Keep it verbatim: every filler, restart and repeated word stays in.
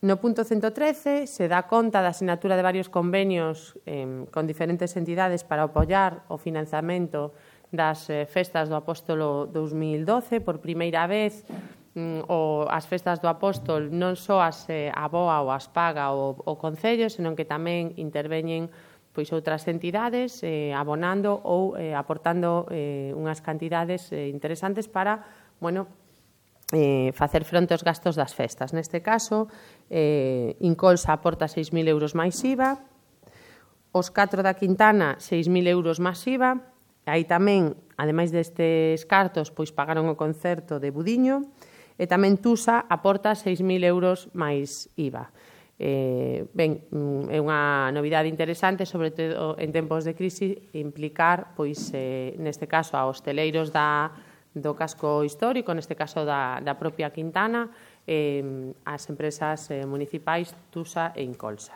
No punto ciento trece se dá conta da sinatura de varios convenios eh, con diferentes entidades para apoiar o financiamento das eh, festas do Apóstolo dous mil doce. Por primeira vez, mm, o, as festas do Apóstol non só as eh, aboa ou as paga o, o Concello, senón que tamén interveñen pois outras entidades eh, abonando ou eh, aportando eh, unhas cantidades eh, interesantes para, bueno, eh, facer fronte aos gastos das festas. Neste caso, eh, Incolsa aporta seis mil euros máis I V A, os catro da Quintana seis mil euros máis I V A, aí tamén, ademais destes cartos, pois pagaron o concerto de Budiño, e tamén Tusa aporta seis mil euros máis I V A. Eh, ben, é unha novidade interesante, sobre todo en tempos de crise, implicar, pois, eh, neste caso, a hosteleiros da do casco histórico, neste caso da, da propia Quintana, eh, as empresas eh, municipais Tusa e Incolsa.